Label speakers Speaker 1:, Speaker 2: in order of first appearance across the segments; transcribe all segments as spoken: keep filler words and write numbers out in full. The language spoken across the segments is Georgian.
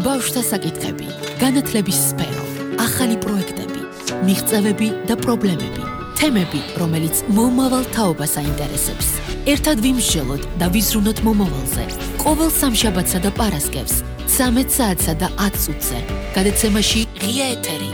Speaker 1: ბავშვთა საკითხები, განათლების სფერო, ახალი პროექტები, მიღწევები და პრობლემები, თემები, რომელიც მომავალ თაობას აინტერესებს. ერთად ვიმსჯელოთ და ვიზრუნოთ მომავალზე. ყოველ სამშაბათსა და პარასკევს, ცამეტ საათსა და ათ წუთზე, გადაცემაში ღია ეთერი.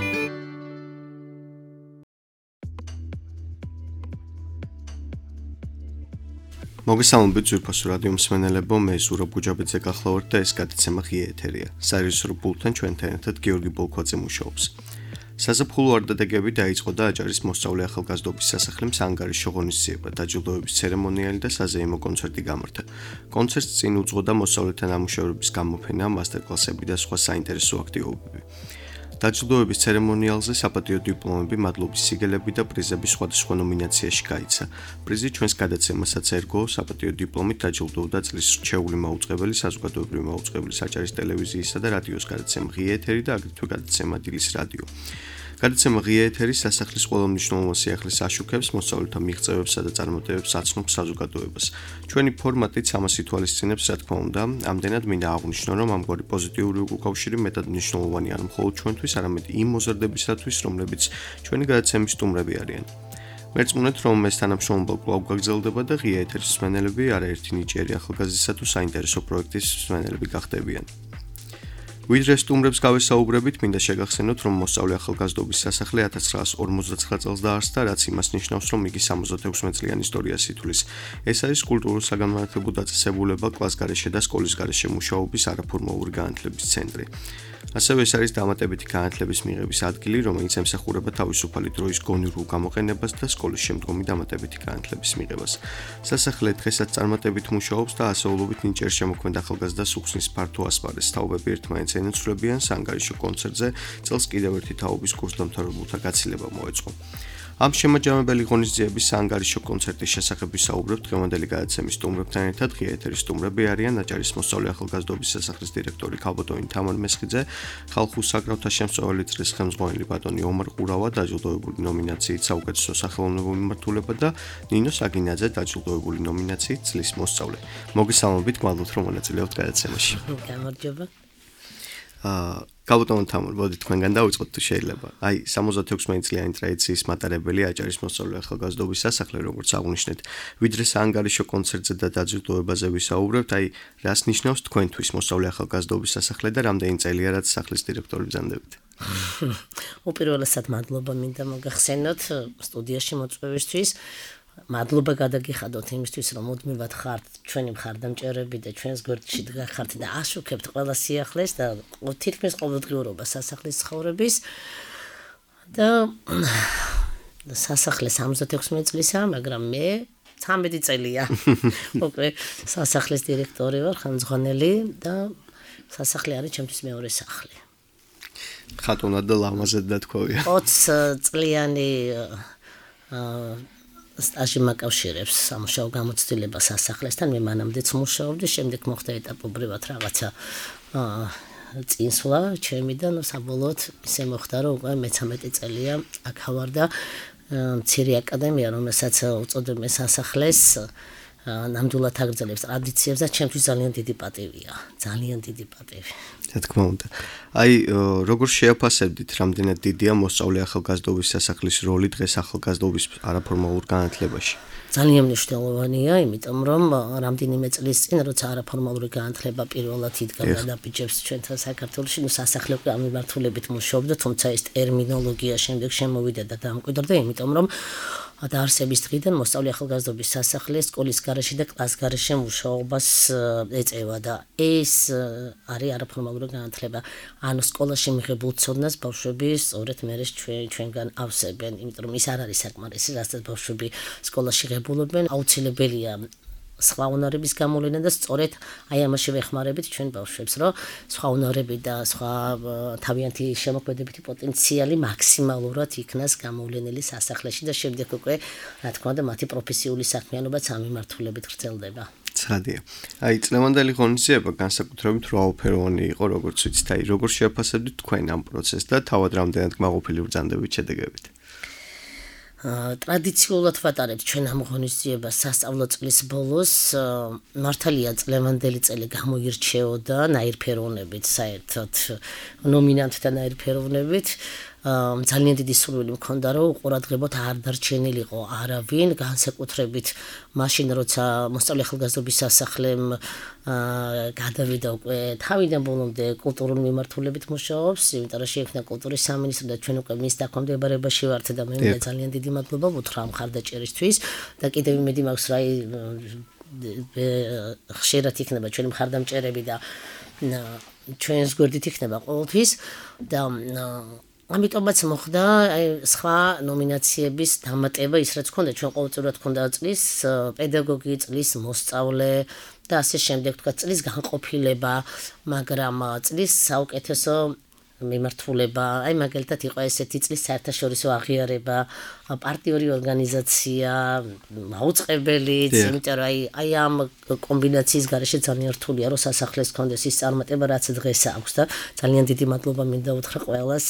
Speaker 2: მოგესალმებით ძვირფასო რადიო მსმენელებო, მე ზურაბ გუჯაბიძე გახლავართ და ეს გადაცემა ღია ეთერია. საერთაშორისო პულტთან ჩვენთან ერთად გიორგი ბოლქვაძე მუშაობს. საზაფხულო არდადეგები დაიწყო და აჭარის მოსწავლე ახალგაზრდობის სასახლემს ანგარიშო ღონისძიება, დაჯილდოების ცერემონიალი და საზეიმო კონცერტი გამართა. კონცერტს წინ უძღოდა მოსწავლეთა ნამუშევრების გამოფენა, მასტერკლასები და სხვა საინტერესო აქტივობები. დაჯილდოების ცერემონიალზე საპატიო დიპლომები, მადლობის სიგელები და პრიზები სხვადასხვა ნომინაციაში გაიცა. პრიზი ჩვენს გადაცემასაც ერგო, საპატიო დიპლომით დაჯილდოვდა წლის რჩეული მაუწყებელი, საზოგადოებრივი მაუწყებელი აჭარის ტელევიზიისა და რადიოს გადაცემა ღია ეთერი და აგრეთვე გადაცემა დილის რადიო. გადაცემა ღია ეთერი სასახლის ყველა მნიშვნელოვან სიახლეს აშუქებს, მოსწავლეთა მიღწევებსა და წარმატებებს აცნობს საზოგადოებას. ჩვენი ფორმატიც ამას ითვალისწინებს, რა თქმა უნდა, ამდენად მინდა აღვნიშნო, რომ ამგვარი პოზიტიური უკავშირი მეტად მნიშვნელოვანი არ მხოლოდ ჩვენთვის, არამედ იმ მოზარდებისათვის, რომლებიც ჩვენი გადაცემის სტუმრები არიან. მერწმუნეთ, რომ ეს თანამშრომლობა კვლავ გაგრძელდება და ღია ეთერის მსმენელები არაერთი ნიჭიერი ახალგაზრდისა თუ საინტერესო პროექტის მსმენელები გახდებიან. ვიდრე სტუმრებს გავესაუბრებით, მინდა შეგახსენოთ, რომ მოსწავლე ახალგაზრდობის სასახლე ათას ცხრაას ორმოცდაცხრა წელს დაარსდა, რაც იმას ნიშნავს, რომ იგი სამოცდაექვსი წლიან ისტორიას ითვლის. ეს არის კულტურულ-საგანმანათლებლო დაწესებულება, კლასგარეშე და სკოლის გარეშე მუშაობის არაფორმალური განათლების ცენტრი. ასევე ეს არის დამატებითი განათლების მიღების ადგილი, რომელიც ემსახურება თავისუფალი დროის გონივრულ გამოყენებას და სკოლის შემდგომი დამატებითი განათლების მიღებას. სასახლე დღესაც წარმატებით მუშაობს და ასეულობით ნიჭიერ შემოქმედ ახალგაზრდას უხსნის ფართო ასპარეზს. თაობები ერთმანეთს ენაცვლებიან, საანგარიშო კონცერტზე წელს კიდევ ერთი თაობის კურსდამთავრებულთა გაცილება მოეწყო. ამ შემაჯამებელი ღონისძიების საანგარიშო კონცერტის შესახებ ვისაუბრებთ დღევანდელი გადაცემის სტუმრებთან ერთად. ღია ეთერის სტუმრები არიან აჭარის მოსწავლე ახალგაზრდობის სასახლის დირექტორი ქალბატონი თამარ მესხიძე, ხალხურ საკრავთა შემსწავლელი წრის ხელმძღვანელი ბატონი ომარ ყურავა, დაჯილდოებული ნომინაციით საუკეთესო სახელოვნებო მიმართულება და ნინო საგინაძე, დაჯილდოებული ნომინაციით წლის მოსწავლე. მოგესალმებით, გვალოთ რომ მონაწილეობთ გადაცემაში.
Speaker 3: გამარჯობა.
Speaker 2: აა ქალბატონ თამარ, მოდი თქვენგან დავიწყოთ თუ შეიძლება. აი, სამოცდაექვსი წლიანი ტრადიციის მატარებელი აჭარის მოსწავლე ახალგაზრდობის სასახლე, როგორც აღნიშნეთ, ვიდრე საანგარიშო კონცერტზე და დაჯილდოებაზე ვისაუბრებთ, აი, რას ნიშნავს თქვენთვის მოსწავლე ახალგაზრდობის სასახლე და რამდენი წელია რაც სახლის დირექტორი ბრძანდებით?
Speaker 3: უპირველესად მადლობა მინდა მოგახსენოთ სტუდიაში მოწვევისთვის. მადლობა გადაგიხადოთ იმისთვის, რომ მუდმივად ხართ ჩვენი მხარდამჭერები და ჩვენს გვერდში დგახართ და აშუქებთ ყველა სიახლეს და თითქმის ყოველდღიურობა სასახლის ცხოვრების. და სასახლე სამოცდაექვსი წლისაა, მაგრამ მე ცამეტი წელია. უკვე სასახლის დირექტორი ვარ, ხელმძღვანელი და სასახლე არის ჩემთვის მეორე სახლი.
Speaker 2: ხატონად და ლამაზად დათქვავია.
Speaker 3: ოცი წლიანი სტაჟი მაკავშირებს სამუშაო გამოცდილება სასახლესთან. მე მანამდეც მუშაობდი, შემდეგ მოხდა ეტაპობრივად რაღაცა წინსვლა ჩემი და საბოლოოდ ისე მოხდა, რომ უკვე მეცამეტი წელია აქ ვარ და მცირე აკადემია, რომელსაც უწოდებენ სასახლეს, ნამდვილად აგრძელებს ტრადიციებს და ჩემთვის ძალიან დიდი პატივია. ძალიან დიდი პატივი.
Speaker 2: რა თქმა უნდა. აი, როგორ შეაფასებდით, რამდენად დიდია მოსწავლე ახალგაზრდობის სასახლის როლი დღეს ახალგაზრდობის არაფორმალურ განათლებაში?
Speaker 3: ძალიან მნიშვნელოვანია, იმიტომ რომ რამდენიმე წლის წინ, როცა არაფორმალური განათლება პირველად იდგა გადაბიჯებს ჩვენთან საქართველოში, ნუ სასახლე ამ მიმართულებით მუშაობდა, თუმცა ეს ტერმინოლოგია შემდეგ შემოვიდა და დამკვიდრდა, იმიტომ რომ დაარსების დღიდან მოსწავლე ახალგაზრდობის სასახლე სკოლის გარეშე და კლას გარეშე მუშაობას ეწევა და ეს არის არაფორმალური განათლება. ანუ სკოლაში მიღებულ ცოდნას ბავშვები სწორედ მერე ჩვენგან ავსებენ, იმიტომ რომ ის არ არის საკმარისი, რასაც ბავშვები სკოლაში ღებულობენ. აუცილებელია სხვა უნარების გამოვლენა და სწორედ აი ამაში ვეხმარებით ჩვენ ბავშვებს, რომ სხვა უნარები და სხვა თავიანთი შემოქმედებითი პოტენციალი მაქსიმალურად იქნას გამოვლენილი სასახლეში და შემდეგ უკვე რა თქმა უნდა მათი პროფესიული საქმიანობაც ამ მიმართულებით გრძელდება.
Speaker 2: ცხადია. აი, წლევანდელი ღონისძიება განსაკუთრებით რვაოფეროვანი იყო, როგორც ვიცით, აი, როგორ შეაფასებდით თქვენ ამ პროცესს და თავად რამდენად გმაყოფილი ბრძანდებით შედეგებით?
Speaker 3: ტრადიციულად ვატარებთ ჩვენ ამ ღონისძიებას სასწავლო წლის ბოლოს. მართალია წლევანდელი წელი გამოირჩეოდა ნაირფეროვნებით, საერთოდ ნომინანტთა ნაირფეროვნებით. ძალიან დიდი სურვილი მქონდა, რომ უყურადღებოდ არ დარჩენილიყო არავინ, განსაკუთრებით მაშინ, როცა მოსწავლე ახალგაზრდობის სასახლემ გადავიდა უკვე თავიდან ბოლომდე კულტურული მიმართულებით მუშაობს, იმიტომ რომ შეიქმნა კულტურის სამინისტრო და ჩვენ უკვე მის დაქვემდებარებაში ვართ და მე მინდა ძალიან დიდი მადლობა ვუთხრა ამ მხარდაჭერისთვის და კიდევ იმედი მაქვს, რა ხშირად იქნება ჩვენი მხარდამჭერები და ჩვენს გვერდით იქნება ყოველთვის და ამიტომაც მოხდა სხვა ნომინაციების დამატება, ის რაც ჰქონდა ჩვენ ყოველწლიურად ჰქონდა წლის პედაგოგი, წლის მოსწავლე და ასე შემდეგ, თქვა წლის განყოფილება, მაგრამ წლის საუკეთესო მიმართულება, აი მაგალითად იყო ესეთი წლის საერთაშორისო აღიარება, პარტიული ორგანიზაცია, მაუწყებელიც, იმიტომ რომ აი აი ამ კომბინაციის გარეშე ძალიან რთულია, რომ სასახლეს ჰქონდეს ის წარმატება, რაც დღეს აქვს და ძალიან დიდი მადლობა მინდა უთხრა ყველას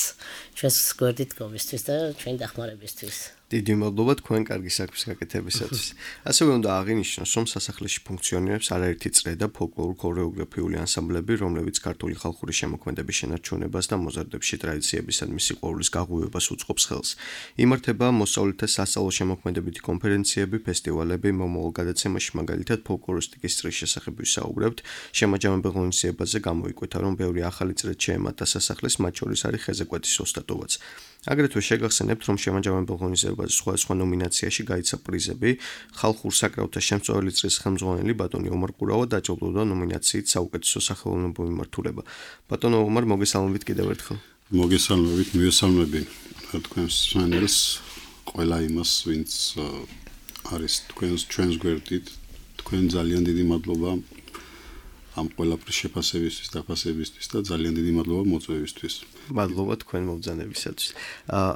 Speaker 3: ჩვენს გვერდით გომისთვის და ჩვენი დახმარებისთვის.
Speaker 2: დიდი მადლობა თქვენ კარგი საქმის გაკეთებისათვის. ასევე უნდა აღინიშნოს, რომ სასახლეში ფუნქციონირებს არაერთი წრე და ფოლკლორულ-ქორეოგრაფიული ანსამბლები, რომლებიც ქართული ხალხური შემოქმედების შენარჩუნებას და მოზარდებში ტრადიციებისა და მუსიკოურის გაღუვებას უწყობს ხელს. იმართება მოსწავლეთა სასწავლო შემოქმედებითი კონფერენციები, ფესტივალები, მომავალ გადაცემაში მაგალითად ფოლკლორისტიკის წრის შესახებ ვისაუბრებთ. შემაჯამებელ ღონისძიებაზე გამოიკვეთა, რომ ბევრი ახალი წრე შეემატა სასახლეს, მათ შორის არის ხეზეკვეთის ოსტატობაც. აგრეთვე შეგახსენებთ, რომ შემაჯამებელ ღონისძიებაზე სხვადასხვა ნომინაციაში გაიცა პრიზები. ხალხურ საკრავთა შემწვეული წრის ხელმძღვანელი ბატონი ომარ ყურავა დაჯილდოვდა ნომინაციით საუკეთესო სახელოვნებო მიმართულება. ბატონო ომარ, მოგესალმებით კიდევ ერთხელ.
Speaker 4: მოგესალმებით, მივესალმები თქვენს სვენელს, ყველა იმას, ვინც არის თქვენს ჩვენს გვერდით. თქვენ ძალიან დიდი მადლობა ამ ყველაფრის შეფასებისთვის, დაფასებისთვის და ძალიან დიდი მადლობა მოწვევისთვის.
Speaker 2: მადლობა თქვენ მობრძანებისათვის.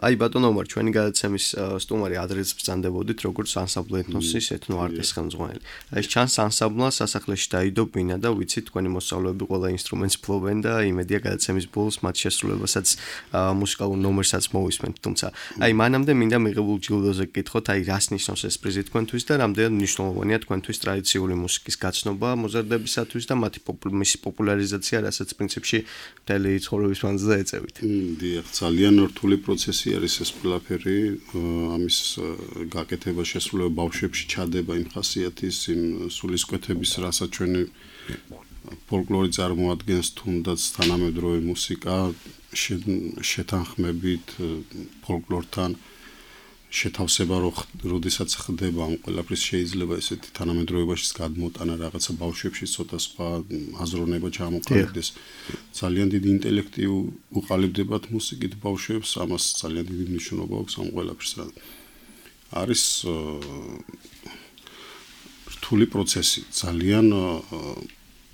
Speaker 2: აი ბატონო ომარ, ჩვენი გადაცემის სტუმარი ადრეც ბრძანდებოდით, როგორც ანსამბლ ეთნოსის ეთნოარტის ხელმძღვანელი. აი ეს ჩანს ანსამბლმა სასახლეში დაიდო ბინა და ვიცით თქვენი მოსწავლეები ყველა ინსტრუმენტს ფლობენ და იმედია გადაცემის ბოლოს მათ შესრულებასაც მუსიკალურ ნომერსაც მოვისმენთ. თუმცა აი მანამდე მინდა მიღებულ ჯილდოზე გკითხოთ, აი რას ნიშნავს ეს პრიზი თქვენთვის და რამდენად მნიშვნელოვანია თქვენთვის ტრადიციული მუსიკის გაცნობა მოზარდებისათვის და მათი მისი პოპულარიზაცია, რასაც პრინციპში მთელი ცხოვრების მანძილზე ეწევით.
Speaker 4: დიახ, ძალიან რთული პროცესი არის ეს ყველაფერი, ამის გაკეთება შესრულება ბავშვებში ჩადება იმ ხასიათის, იმ სულისკვეთების, რასაც ჩვენი ფოლკლორი წარმოადგენს, თუნდაც თანამედროვე მუსიკა შეთანხმებით ფოლკლორთან შეთავსება, როდესაც ხდება ამ ყველაფრის შეიძლება ესეთი თანამედროვეობაშიც გადმოტანა რაღაცა ბავშვებში ცოტა სხვა აზროვნება ჩამოყალიბდეს. ძალიან დიდი ინტელექტი უყალიბდებათ მუსიკით ბავშვებს, ამას ძალიან დიდი მნიშვნელობა აქვს ამ ყველაფერს. არის რთული პროცესი, ძალიან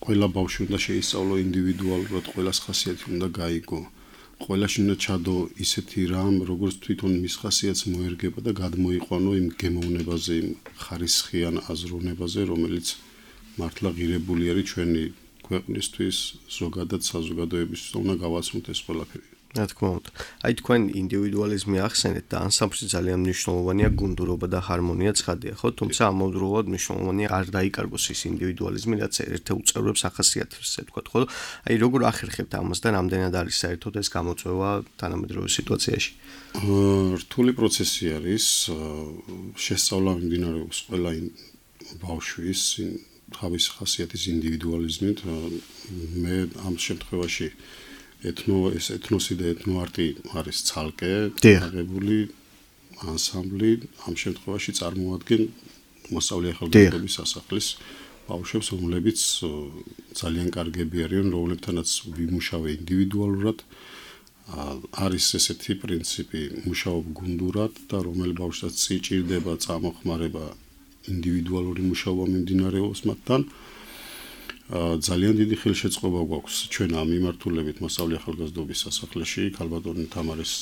Speaker 4: ყველა ბავშვი უნდა შეისწავლო ინდივიდუალურად, ყველას ხასიათი უნდა გაიგო. ყველაში უნდა ჩადო ისეთი რამ, როგორც თვითონ მის ხასიათს მოერგება და გადმოიყვანო იმ გემოვნებაზე, იმ ხარისხიან აზროვნებაზე, რომელიც მართლა ღირებული არის ჩვენი ქვეყნისთვის, ზოგადად საზოგადოებისთვის, უნდა გავაცნოთ ეს ყველაფერი.
Speaker 2: რა თქმა უნდა. აი თქვენ ინდივიდუალიზმი ახსენეთ და ანსამბლში ძალიან მნიშვნელოვანია გუნდურობა და ჰარმონია ცხადია, ხო? თუმცა ამავდროულად მნიშვნელოვანია არ დაიკარგოს ის ინდივიდუალიზმი, რაც ერთ-ერთ უწევრებს ახასიათებს, ესე ვთქვათ, ხო? აი როგორ ახერხებთ ამას და რამდენად არის საერთოდ ეს გამოწვევა თანამედროვე სიტუაციაში?
Speaker 4: რთული პროცესი არის, შესწავლა მიმდინარეობს ყველა ბავშვის თავის ხასიათის ინდივიდუალიზმით. მე ამ შემთხვევაში ეთნო ეს ეთნოსი და ეთნოარტი არის ცალკე აღებული ანსამბლი, ამ შემთხვევაში წარმოადგენენ მოსწავლე ახალგაზრდობის სასახლის ბავშვებს, რომლებიც ძალიან კარგები არიან, რომლებთანაც ვიმუშავე ინდივიდუალურად. არის ესეთი პრინციპი, მუშაობ გუნდურად და რომელ ბავშვსაც სიჭირდება წამოხმარება ინდივიდუალური მუშაობა მიმდინარეობს მათთან. ძალიან დიდი ხელშეწყობა გვაქვს ჩვენ ამ მიმართულებით მოსწავლე ახალგაზრდობის სასახლეში, ქალბატონი თამარის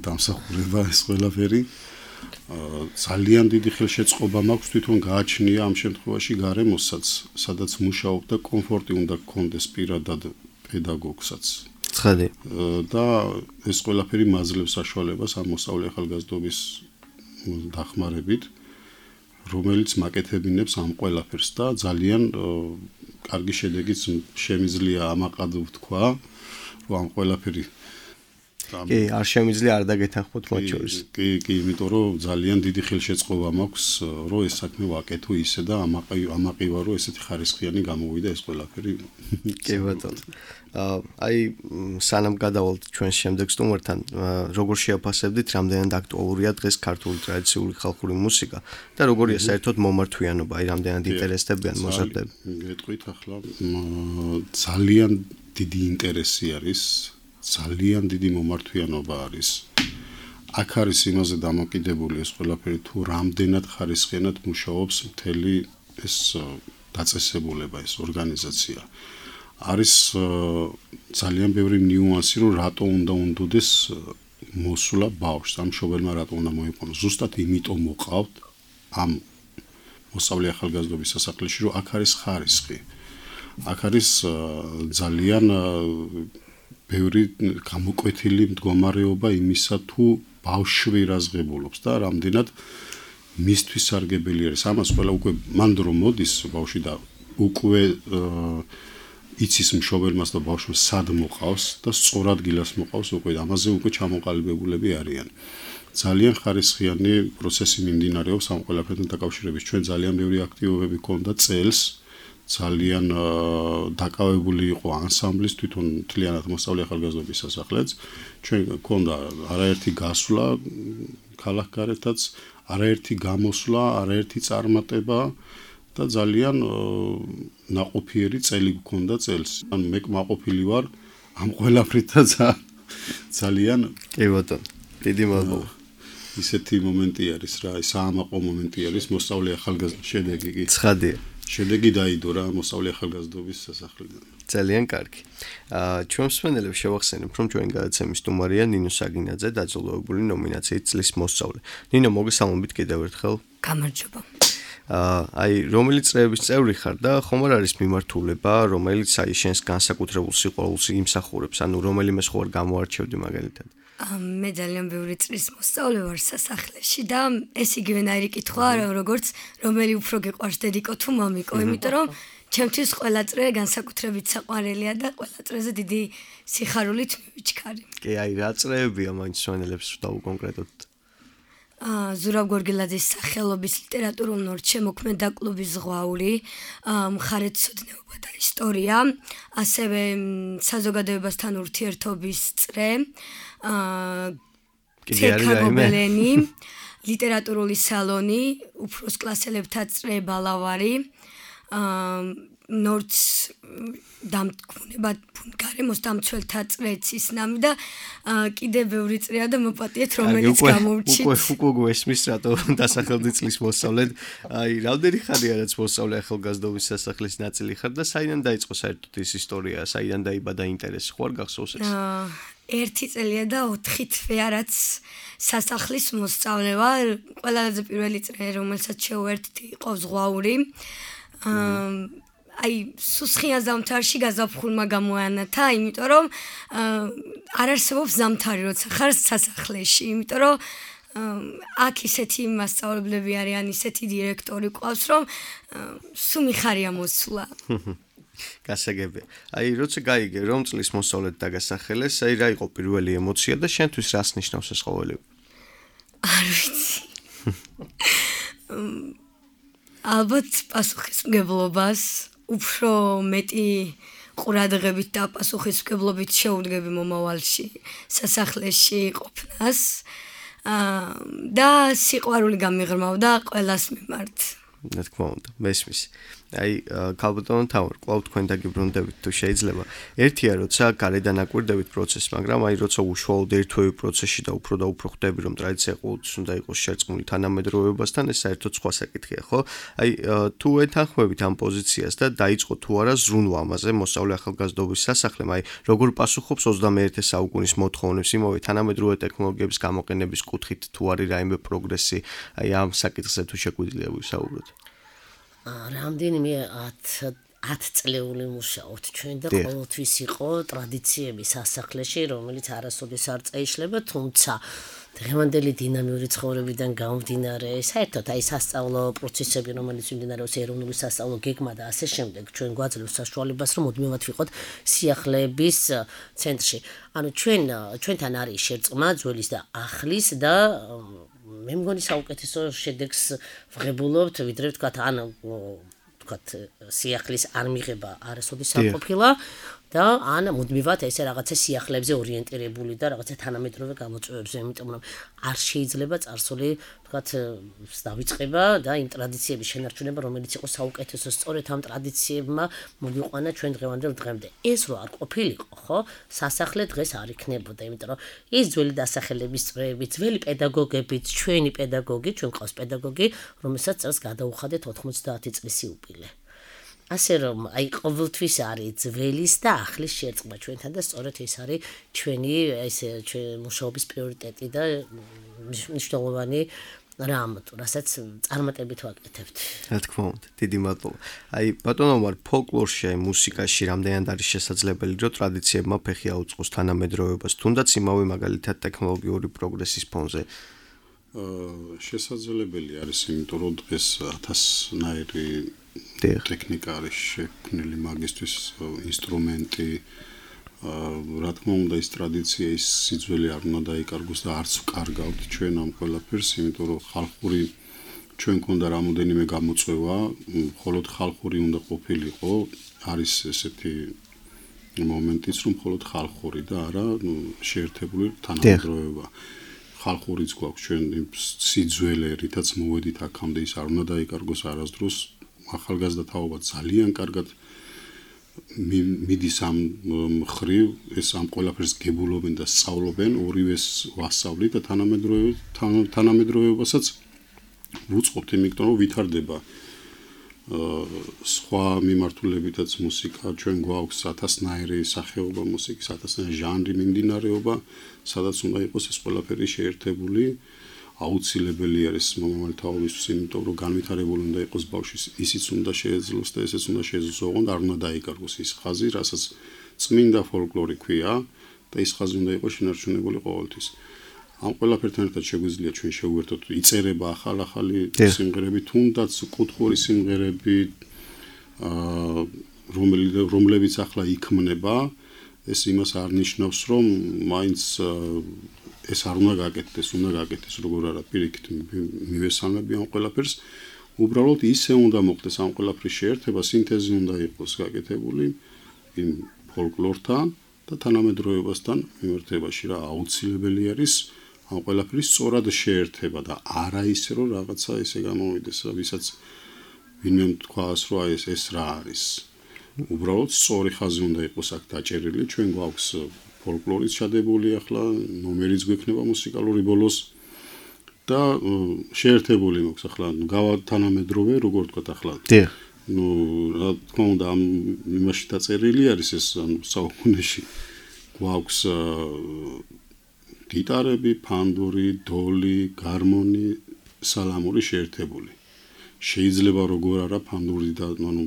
Speaker 4: დამსახურება ეს ყველაფერი. ძალიან დიდი ხელშეწყობა მაქვს თვითონ გააჩნია ამ შემთხვევაში გარემოსაც, სადაც მუშაობ და კომფორტი უნდა გქონდეს პირადად პედაგოგსაც.
Speaker 2: ცხადი.
Speaker 4: და ეს ყველაფერი მაძლევს საშუალებას ამ მოსწავლე ახალგაზრდობის დახმარებით, რომელიც მაკეთებინებს ამ ყველაფერს და ძალიან კარგი შედეგიც შემიძლია ამაყად ვთქვა, რომ ამ ყველაფერი
Speaker 2: კი, არ შემიძლია არ დაგეთანხმოთ მათ შორის.
Speaker 4: კი, კი, იმიტომ რომ ძალიან დიდი ხელშეწყობა მაქვს, რომ ეს საქმე ვაკეთო ისე და ამაყივა რომ ესეთი ხარისხიანი გამოვიდა ეს ყველაფერი.
Speaker 2: კი ბატონო. აი სანამ გადავალთ ჩვენ შემდეგ სტუმართან, როგორ შეაფასებდით, რამდენად აქტუალურია დღეს ქართული ტრადიციული ხალხური მუსიკა და როგორია საერთოდ მომართვიანობა, აი რამდენად ინტერესდებიან მოზარდები.
Speaker 4: გეტყვით ახლა ძალიან დიდი ინტერესი არის. ძალიან დიდი მომართვიანობა არის. აქ არის იმაზე დამოკიდებული ეს ყველაფერი თუ რამდენად ხარისხიანად მუშაობს მთელი ეს დაწესებულება, ეს ორგანიზაცია. არის ძალიან ბევრი ნიუანსი, რომ რატო უნდა უნდოდეს მოსულა ბავშვს, ამ მშობელმა რატო უნდა მოიყვანოს. ზუსტად იმიტომ მოყავთ ამ მოსწავლე ახალგაზრდობის სასახლეში, რომ აქ არის ხარისხი. აქ არის ძალიან ბევრი გამოკვეთილი მდგომარეობა იმისა თუ ბავშვი რაზღებულობს და რამდენად მისთვის სარგებელი არის. ამას ყველა უკვე მანდ რომ მოდის ბავშვი და უკვე იცის მშობელმას და ბავშვს სად მოყავს და სწორ ადგილას მოყავს, უკვე ამაზე უკვე ჩამოყალიბებულები არიან. ძალიან ხარისხიანი პროცესი მიმდინარეობს ამ ყველაფერთან დაკავშირებით. ჩვენ ძალიან ბევრი აქტივობები გქონდა წელს. ძალიან დაკავებული იყო ანსამბლის თვითონ მთლიანად მოსწავლე ახალგაზრდობის სასახლეც. ჩვენ გქონდა არაერთი გასვლა ქალაქგარეთაც, არაერთი გამოსვლა, არაერთი წარმატება და ძალიან ნაყოფიერი წელი გქონდა წელს. ან მე კმაყოფილი ვარ ამ ყველაფრით და ძალიან
Speaker 2: კი ბატონო, დიდი მადლობა.
Speaker 4: ისეთი მომენტი არის რა, საამაყო მომენტი არის მოსწავლე ახალგაზრდობის შედეგი კი.
Speaker 2: ცხადია.
Speaker 4: შედეგი დაიდო რა მოსწავლე ახალგაზრდობის სასახლიდან.
Speaker 2: ძალიან კარგი. აა ჩვენ მსმენელებს შევახსენებ, რომ ჩვენი გადაცემის სტუმარია ნინო საგინაძე, დაძაბულებული ნომინაციით წლის მოსწავლე. ნინო, მოგესალმებით კიდევ ერთხელ.
Speaker 3: გამარჯობა.
Speaker 2: აა აი რომელი წრეების წევრი ხარ და ხომ არ არის მიმართულება, რომელიც აი შენს განსაკუთრებულ სიყვარულს იმსახურებს, ანუ რომელიმე სხვა გამოარჩევდი მაგალითად.
Speaker 5: მე ძალიან ბევრი წრის მოსწავლე ვარ სასახლეში და ეს იგივენაირი კითხვა როგორც რომელი უფრო გიყვარს დედიკო თუ მამიკო, იმიტომ რომ ჩემთვის ყველა წრე განსაკუთრებით საყვარელია და ყველა წრეზე დიდი სიხარულით მივიჩქარი.
Speaker 2: კი, აი რა წრეებია მაინც სვენელებს დავუკონკრეტოთ.
Speaker 5: აა ზურაბ გორგილაძის სახელობის ლიტერატურულ ნორჩე მოქმედა კლუბის ზღვაური, მხარეთმცოდნეობა და ისტორია, ასევე საზოგადოებასთან ურთიერთობის წრე, აა ცეკაგობელენი, ლიტერატურული სალონი, უფროს კლასელებთა წრე ბალავარი, აა ნორჩ დამტკუნება გარემოს დამცველთა წრეც ისნამი და კიდე ბევრი წრეა და მოპატიეთ რომელიც გამოვრჩით.
Speaker 2: უკვე უკვე გვესმის რატო დასახელდი წლის მოსწავლედ. აი რამდენი ხანია რაც მოსწავლე ახალგაზრდობის სასახლის ნაწილი ხარ და საიდან დაიწყო საერთოდ ეს ისტორია, საიდან დაიბადა ინტერესი, ხო არ გახსოვს ეს?
Speaker 5: ერთი წელია და ოთხი თვეა რაც სასახლის მოსწავლე ვარ. ყველაზე პირველი წრე რომელსაც შევერთდი იყო ზღვაური. აა აი სუსხიან ზამთარში გაზაფხულმა გამოანათა, იმიტომ რომ არ არსებობს ზამთარი, როცა ხარ სასახლეში, იმიტომ რომ აქ ისეთი მასწავლებლები არიან, ისეთი დირექტორი ყავს, რომ სულ მიხარია მოსვლა.
Speaker 2: გასაგებია. აი როცა გაიგე რომ წლის მოსწავლედ დაგასახელეს, აი რა იყო პირველი ემოცია და შენთვის რას ნიშნავს ეს ყოველივე?
Speaker 5: არ ვიცი. ალბათ პასუხისმგებლობას უფრო მეტი ყურადღებით და პასუხისმგებლობით შეუდგები მომავალში სასახლეში ყოფნას და სიყვარული გამიღრმავდა ყველას მიმართ.
Speaker 2: რა თქმა უნდა, მესმის. აი ქალბატონო თავარ, კვლავ თქვენ დაგიბრუნდებით თუ შეიძლება. ერთია როცა გარედან აკვირდებით პროცესს, მაგრამ აი როცა უშუალოდ ერთვევი პროცესში და უფრო და უფრო ხვდები რომ ტრადიცია ყოველთვის უნდა იყოს შერწყმული თანამედროვეობასთან, ეს საერთოდ სხვა საკითხია, ხო? აი თუ ეთანხმებით ამ პოზიციას და დაიწყო თუ არა ზრუნვა ამაზე მოსწავლე ახალგაზრდობის სასახლემ, აი როგორ პასუხობს ოცდამეერთე საუკუნის მოთხოვნებს იმავე თანამედროვე ტექნოლოგიების გამოყენების კუთხით თუ არის რაიმე პროგრესი, აი ამ საკითხზე თუ შეგვიძლია ვისაუბროთ.
Speaker 3: რამდენიმე ათი წლეული მუშაობთ ჩვენ და ყოველთვის იყო ტრადიციები სასახლეში, რომელიც არასოდეს არ წაიშლება, თუმცა დღევანდელი დინამიური ცხოვრებიდან გამომდინარე, საერთოდ აი სასწავლო პროცესები, რომელიც მიმდინარეობს ეროვნული სასწავლო გეგმა და ასე შემდეგ, ჩვენ გვაძლევს საშუალებას, რომ მუდმივად ვიყოთ სიახლეების ცენტრში. ანუ ჩვენ ჩვენთან არის შერწყმა ძველის და ახლის და მე მგონი საუკეთესო შედეგს ვღებულობთ, ვიდრე ვთქვათ, ან ვთქვათ, სიახლის არ მიღება არასოდეს არ ყოფილა და ან მუდმივად ესე რაღაცა სიახლეებზე ორიენტირებული და რაღაცა თანამედროვე გამოწვევებზე, იმიტომ რომ არ შეიძლება წარსული, ვთქვათ, დავიწყება და იმ ტრადიციების შენარჩუნება, რომელიც იყო საუკეთესო, სწორედ ამ ტრადიციებმა მოვიყვანა ჩვენ დღევანდელ დღემდე. ეს რო არ ყოფილიყო, ხო, სასახლე დღეს არ იქნებოდა, იმიტომ რომ ის ძველი დასახელების წრეები, ძველი პედაგოგები, ჩვენი პედაგოგი, ჩვენ ყავს პედაგოგი, რომელსაც წელს გადაუხადეთ ოთხმოცდაათი წლის იუბილე. ასე რომ აი ყოველთვის არის ძველის და ახლის შერწყმა ჩვენთან და სწორედ ეს არის ჩვენი ესე მუშაობის პრიორიტეტი და მნიშვნელოვანი რამ, რასაც წარმატებით ვაკეთებთ.
Speaker 2: რა თქმა უნდა, დიდი მადლობა. აი ბატონო მარ ფოლკლორში, აი მუსიკაში რამდენად არის შესაძლებელი, რომ ტრადიციებმა ფეხი აუწყოს თანამედროვეობას, თუნდაც იმავე მაგალითად ტექნოლოგიური პროგრესის ფონზე?
Speaker 4: შესაძლებელი არის, იმიტომ რომ დღეს ათასნაირი ტექნიკა არის შექმნილი მაგისტვის ინსტრუმენტი, რა თქმა უნდა ის ტრადიცია ის სიძველი არ უნდა დაიკარგოს და არც ვკარგავთ ჩვენ ამ ყველაფერს, იმიტომ რომ ხალხური ჩვენ გქონდა რამოდენიმე გამოწვევა, მხოლოდ ხალხური უნდა ყოფილიყო, არის ესეთი მომენტიც რომ მხოლოდ ხალხური და არა შეერთებული თანამედროვეობა. ხალხურიც გვაქვს ჩვენ სიძველე, რითაც მოვედით აქამდე ის არ უნდა დაიკარგოს არასდროს. ახალგაზრდა თაობა ძალიან კარგად მიდის ამ მხრივ, ეს ამ ყველაფერს გებულობენ და სწავლობენ, ორივეს ვასწავლით და თანამედროვეობასაც ვუწყობთ, იმიტომ რომ ვითარდება სხვა მიმართულებითაც მუსიკა, ჩვენ გვაქვს ათასნაირი სახეობა მუსიკის, ათასნაირი ჟანრი მიმდინარეობა, სადაც უნდა იყოს ეს ყველაფერი შეერთებული. აუცილებელი არის მომავალი თაობისთვის, იმიტომ რომ განვითარებული უნდა იყოს ბავშვის, ისიც უნდა შეეძლოს და ესეც უნდა შეეძლოს, ოღონდ არ უნდა დაიკარგოს ის ხაზი, რასაც წმინდა ფოლკლორი ქვია და ის ხაზი უნდა იყოს შენარჩუნებული ყოველთვის. ამ ყველაფერთან ერთად შეგვიძლია ჩვენ შევუერთოთ, იწერება ახალ-ახალი სიმღერები, თუნდაც კუთხური სიმღერები, რომლებიც ახლა იქმნება, ეს იმას არ ნიშნავს, რომ მაინც ეს არ უნდა გაკეთდეს, უნდა გაკეთდეს როგორ არა პირიქით მივესალმები ამ ყველაფერს. უბრალოდ ისე უნდა მოხდეს ამ ყველაფრის შეერთება, სინთეზი უნდა იყოს გაკეთებული იმ ფოლკლორთან და თანამედროვეობასთან მიმართებაში რა აუცილებელი არის ამ ყველაფრის სწორად შეერთება და არა ისე რომ რაღაცა ესე გამოვიდეს, ვისაც ვინმე თქვას რომ აი ეს ეს რა არის. უბრალოდ სწორი ხაზი უნდა იყოს აქ დაჭერილი, ჩვენ გვაქვს ფოლკლორის ჩადებული ახლა, ნომერიც გვექნება მუსიკალური ბოლოს და შეერთებული მოქვს ახლა, გავა თანამედროვე, როგორ ვთქვათ ახლა.
Speaker 2: დიახ.
Speaker 4: ნუ რა თქმა უნდა ამ იმაში დაწერილი არის ეს საუკუნეში. გვაქვს გიტარები, ფანდური, დოლი, გარმონი, სალამური შეერთებული. შეიძლება როგორ არა ფანდური და ანუ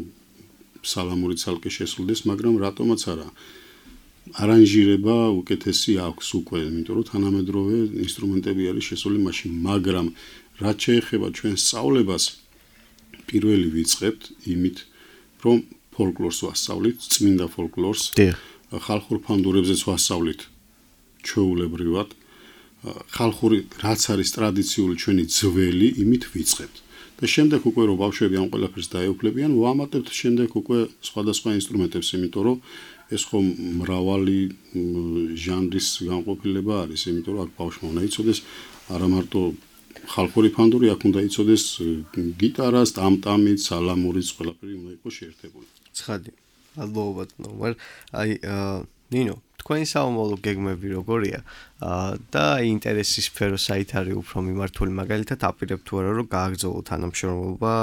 Speaker 4: სალამური ცალკე შესრულდეს, მაგრამ რატომაც არა. არანჟირება უკეთესი აქვს უკვე, იმიტომ რომ თანამედროვე ინსტრუმენტები არის შესული მაშინ, მაგრამ რაც შეეხება ჩვენ სწავლებას, პირველი ვიწყებთ იმით, რომ ფოლკლორს ვასწავლით, წმინდა ფოლკლორს, ხალხურ ფანდურებზეც ვასწავლით ჩვეულებრივად, ხალხური რაც არის ტრადიციული ჩვენი ძველი, იმით ვიწყებთ. და შემდეგ უკვე რომ ბავშვები ამ ყველაფერს დაეუფლებიან, ვამატებთ შემდეგ უკვე სხვადასხვა ინსტრუმენტებს, იმიტომ რომ ეს ხომ მრავალი ჟანრის განყოფილება არის, იმიტომ რომ აქ ბავშვმა უნდა იცოდეს არა მარტო ხალხური ფანდური, აქ უნდა იცოდეს გიტარას, ტამტამი, სალამურიც, ყველაფერი უნდა იყოს შეერთებული.
Speaker 2: ცხადი. მადლობა ნომარ. აი ნინო, თქვენი საომოლო გეგმები როგორია? და ინტერესის სფერო საით არის უფრო მიმართული, მაგალითად აპირებთ თუ არა რომ გააგრძელოთ თანამშრომლობა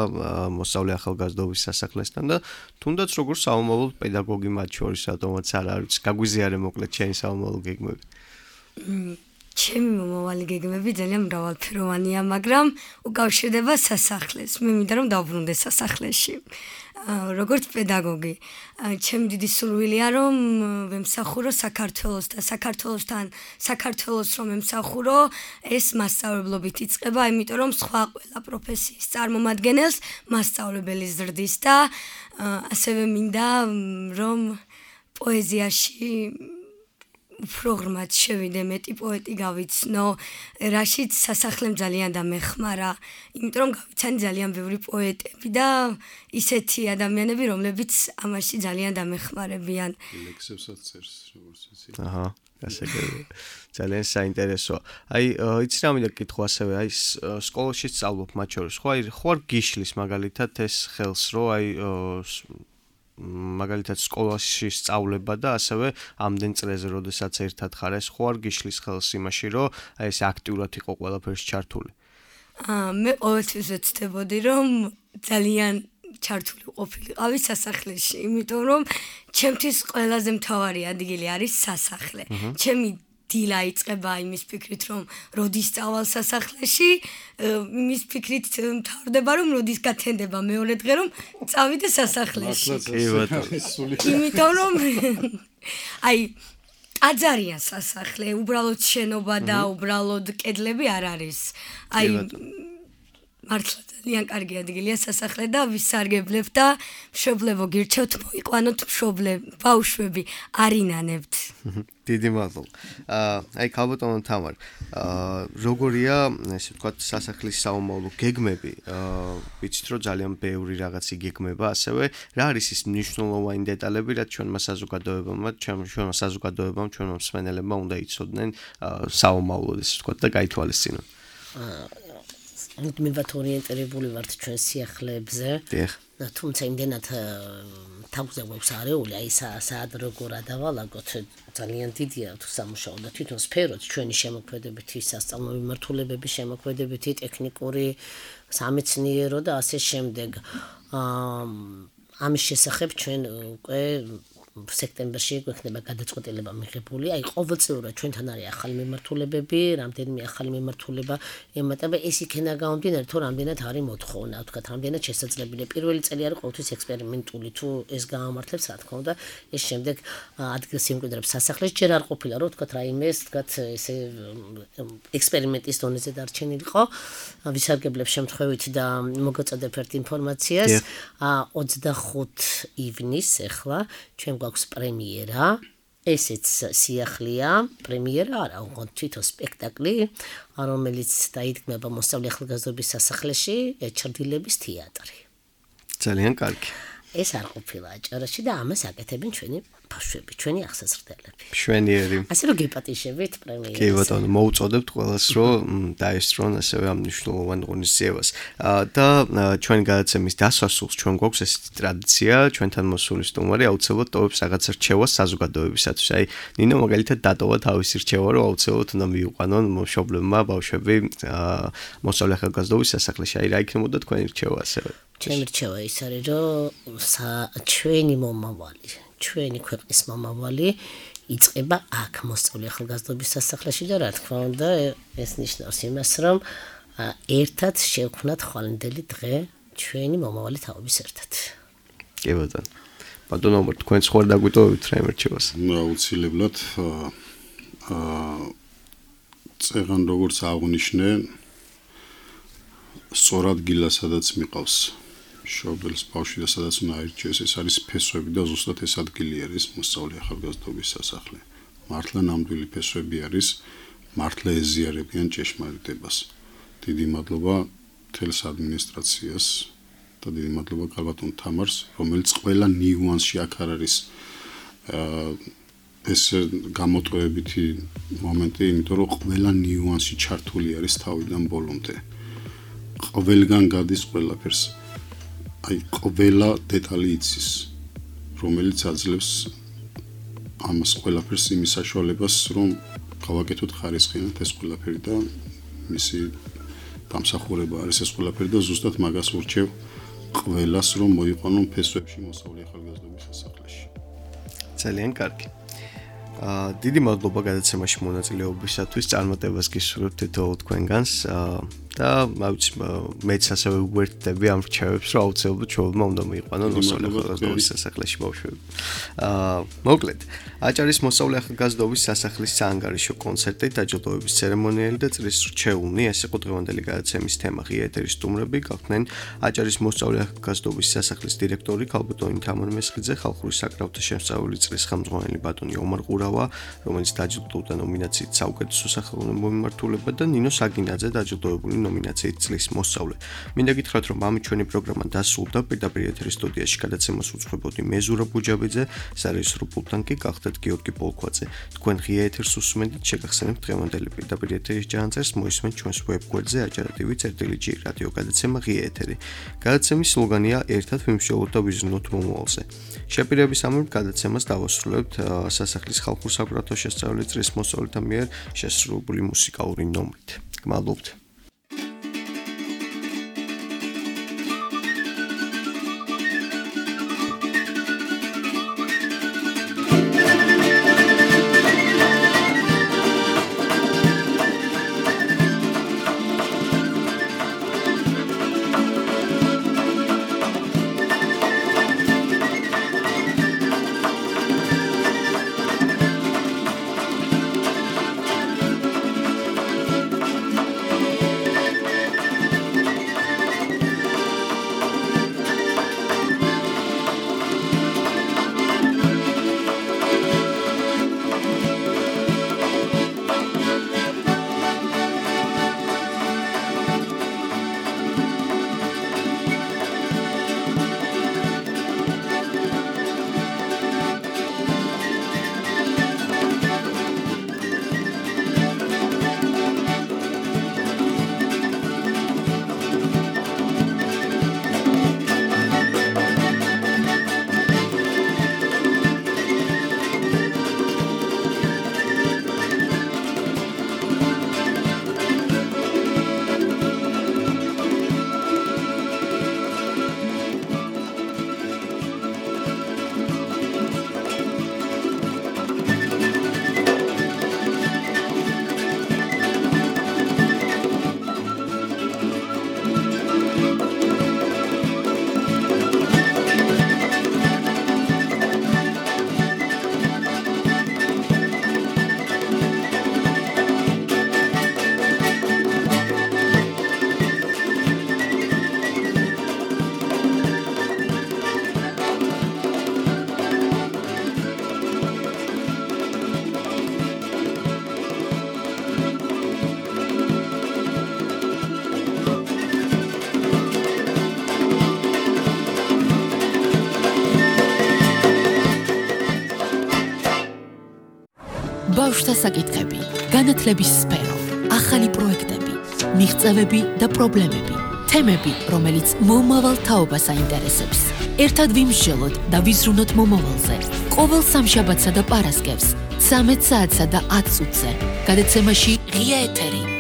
Speaker 2: მოსწავლე ახალგაზრდობის სასახლესთან და თუნდაც როგორ საომოლო პედაგოგი მათ შორის რატომაც არ არის, გაგვიზიარე მოკლედ ჩემი საომოლო გეგმები.
Speaker 5: ჩემი მომავალი გეგმები ძალიან მრავალფეროვანია, მაგრამ უკავშირდება სასახლეს. მე მინდა რომ დავბრუნდე სასახლეში. როგორც პედაგოგი, ჩემი დიდი სურვილია რომ ვემსახურო საქართველოს და საქართველოსთან საქართველოს რომ ემსახურო, ეს მასწავლებლობით იწყება, იმიტომ რომ სხვა ყველა პროფესიის წარმომადგენელს მასწავლებელი ზრდის და ასევე მინდა რომ პოეზიაში უფრო ღრმად შევიდე, მეტი პოეტი გავიცნო, რაშიც სასახლემ ძალიან დამეხმარა, იმიტომ რომ გავიცანი ძალიან ბევრი პოეტები და ისეთი ადამიანები, რომლებიც ამაში ძალიან დამეხმარებიან.
Speaker 4: ლექსებსაც წერს, როგორც იცი.
Speaker 2: აჰა, გასაგებია. ძალიან საინტერესოა. აი, იცი რა მინდა გითხო ასევე, აი სკოლაში სწავლობ მათ შორის, ხო, აი, ხო არ გიშლის მაგალითად ეს ხელს, რომ აი მაგალითად სკოლაში სწავლება და ასევე ამდენ წრეზე, როდესაც ერთად ხარ, ეს ხო არ გიშლის ხელს იმაში, რომ აი ეს აქტიურად იყო ყველაფერში ჩართული.
Speaker 5: აა მე ყოველთვის ვეცდებოდი, რომ ძალიან ჩართული ყოფილიყავი სასახლეში, იმიტომ რომ ჩემთვის ყველაზე მთავარი ადგილი არის სასახლე. ჩემი დილა იწყება იმის ფიქრით, რომ როდის წავალ სასახლეში, იმის ფიქრით მთავრდება, რომ როდის გათენდება მეორე დღე, რომ წავიდე სასახლეში. იმიტომ რომ აი ტაძარია სასახლე, უბრალოდ შენობა და უბრალოდ კედლები არ არის. აი მართლა ძალიან კარგი ადგილია სასახლე და ვისარგებლებ და მშობლებო გირჩევთ მოიყვანოთ მშობლებ, ბავშვები არინანებთ.
Speaker 2: დიდი მადლობა. აი ქალბატონო თამარ, როგორია, ესე ვთქვათ, სასახლის საომავლო გეგმები? ვიცით რომ ძალიან ბევრი რაღაც იგეგმება, ასევე რა არის ის მნიშვნელოვანი დეტალები, რაც ჩვენმა საზოგადოებამ, ჩვენმა საზოგადოებამ, ჩვენმა მსმენელებმა უნდა იცოდნენ საომავლოდ, ესე ვთქვათ და გაითვალისწინონ.
Speaker 3: მე ვართ ორიენტირებული ვართ ჩვენ სიახლეებზე.
Speaker 2: დიახ.
Speaker 3: თუმცა იმდენად თავზე გვაქვს არეული, აი საად როგორ ადავალაგოთ, ძალიან დიდია თუ სამუშაო და თვითონ სფეროც ჩვენი შემოქმედებითი სასწავლო მიმართულებების შემოქმედებითი ტექნიკური სამეცნიერო და ასე შემდეგ. ამის შესახებ ჩვენ უკვე სექტემბერში გვექნება გადაწყვეტილება მიღებული, აი ყოველწლიურად ჩვენთან არის ახალი მიმართულებები, რამდენიმე ახალი მიმართულება ემატება, ეს იქნება გამომდინარე, თუ რამდენად არის მოთხოვნა, ვთქვათ, რამდენად შესაძლებელია. პირველი წელი არის ყოველთვის ექსპერიმენტული, თუ ეს გამართლებს, რა თქმა უნდა, ეს შემდეგ ადგილს იმკვიდრებს სასახლეს, ჯერ არ ყოფილა, რომ ვთქვათ, რაიმეს, ვთქვათ, ესე ექსპერიმენტის დონეზე დარჩენილიყო, ვისარგებლებ შემთხვევით და მოგაწოდებ ერთ ინფორმაციას, ოცდახუთი ივნის ახლა ჩვენ გვაქვს პრემიერა, ესეც სიახლეა, პრემიერა არა, უბრალოდ თვითონ სპექტაკლი, რომელიც დაიდგმება მოსწავლე ახალგაზრდობის სასახლეში, ჩრდილების თეატრი.
Speaker 2: ძალიან კარგი.
Speaker 3: ეს არ ყოფილა აჭარაში და ამას აკეთებენ ჩვენი ბავშვები, ჩვენი აღსასრდელები.
Speaker 2: მშვენიერი.
Speaker 3: ასე რომ გეპატიშებით პრემიერას.
Speaker 2: კი ბატონო, მოუწოდებთ ყველას, რომ დაესწრონ ასევე ამ მნიშვნელოვან ღონისძიებას. და ჩვენი გადაცემის დასასრულს ჩვენ გვაქვს ესეთი ტრადიცია, ჩვენთან მოსული სტუმარი აუცილებლად ტოვებს რაღაც რჩევას საზოგადოებისათვის. აი, ნინო მაგალითად დატოვა თავისი რჩევა, რომ აუცილებლად უნდა მიიყვანონ მშობლებმა ბავშვები მოსწავლე ახალგაზრდობის სასახლეში. აი, რა იქნებოდა თქვენი რჩევა ასევე?
Speaker 3: ჩემი რჩევა ის არის, რომ ჩვენი მომავალი, ჩვენი ქვეყნის მომავალი იწყება აქ მოსწავლე ახალგაზრდობის სასახლეში და რა თქმა უნდა, ეს ნიშნავს იმას, რომ ერთად შევქმნათ ხვალინდელი დღე ჩვენი მომავალი თაობის ერთად.
Speaker 2: კი ბატონო. ბატონო, თქვენ სხვა დაგვიტოვებთ რაიმე რჩევას?
Speaker 4: აუცილებლად აა წეგან როგორც აღნიშნე, სწორად გილა სადაც მიყავს მშობელს ბავშვი და სადაც უნდა აირჩიოს, ეს არის ფესვები და ზუსტად ეს ადგილი არის მოსწავლე ახალგაზრდობის სასახლე. მართლა ნამდვილი ფესვები არის, მართლა ეზიარებიან ჭეშმარიტებას. დიდი მადლობა მთელს ადმინისტრაციას და დიდი მადლობა ქალბატონ თამარს, რომელიც ყველა ნიუანსში აქ არ არის ეს გამოტოვებითი მომენტი, იმიტომ რომ ყველა ნიუანსი ჩართული არის თავიდან ბოლომდე. ყველგან გადის ყველაფერს. აი ყველა დეტალი იცის, რომელიც აძლევს ამას ყველაფერს იმის საშუალებას, რომ გავაკეთოთ ხარისხიანად ეს ყველაფერი და მისი დამსახურება არის ეს ყველაფერი და ზუსტად მაგას ურჩევ ყველას, რომ მოიყვანონ ფესვებში მოსწავლე ახალგაზრდობის სასახლეში.
Speaker 2: ძალიან კარგი. დიდი მადლობა გადაცემაში მონაწილეობისათვის. წარმატებას გისურვებთ თითოეულ თქვენგანს. და მაუც მეც ასევე უერთდები ამ რჩევებს, რომ აუცილებლად ჩვეულებმა უნდა მიიყვანონ მოსწავლე ახალგაზრდობის სასახლეში ბავშვები. აა მოკლედ, აჭარის მოსწავლე ახალგაზრდობის სასახლის საანგარიშო კონცერტი, დაჯილდოების ცერემონიალი და წრის რჩეულნი, ეს იყო დღევანდელი გადაცემის თემა. ღია ეთერის სტუმრები გახდნენ აჭარის მოსწავლე ახალგაზრდობის სასახლის დირექტორი ქალბატონი თამარ მესხიძე, ხალხური საკრავთა შემსწავლელი წრის ხელმძღვანელი ბატონი ომარ ყურავა, რომელიც დაჯილდოვდა ნომინაციით საუკეთესო სახელმწიფო მიმართულება და ნინო საგინაძე დაჯილდოებული ნომინაციით წლის მოსწავლე. მინდა გითხრათ, რომ ამით ჩვენი პროგრამა დასრულდა. პირდაპირ ეთერის სტუდიაში გადაცემას უძღვებოდი მე ზურაბ ბუჯაბიძე, სარეჟისორო პულტთან კი გახდათ გიორგი პოლქვაძე. თქვენ ღია ეთერს უსმენთ, შეგახსენებთ დღევანდელი პირდაპირ ეთერის ჯანმრთელს, მოისმენთ ჩვენს ვებგვერდზე აჭარა.tv წერტილი.g რადიო გადაცემა ღია ეთერი. გადაცემის სლოგანია ერთად ვიმსჯელოთ და ვიზრუნოთ მომავალზე. შეპირების ამბავ გადაცემას დავასრულებთ სასახლის ხალხურ საკრავთა შესწავლილი წრის მოსწავლეთა მიერ შესრულებული მუსიკალური ნომრით. გმადლობთ.
Speaker 1: ბავშვთა საკითხები, განათლების სფერო, ახალი პროექტები, მიღწევები და პრობლემები, თემები, რომელიც მომავალ თაობას აინტერესებს. ერთად ვიმსჯელოთ და ვიზრუნოთ მომავალზე. ყოველ სამშაბათსა და პარასკევს, ცამეტ საათსა და ათ წუთზე. გადაცემაში ღია ეთერი.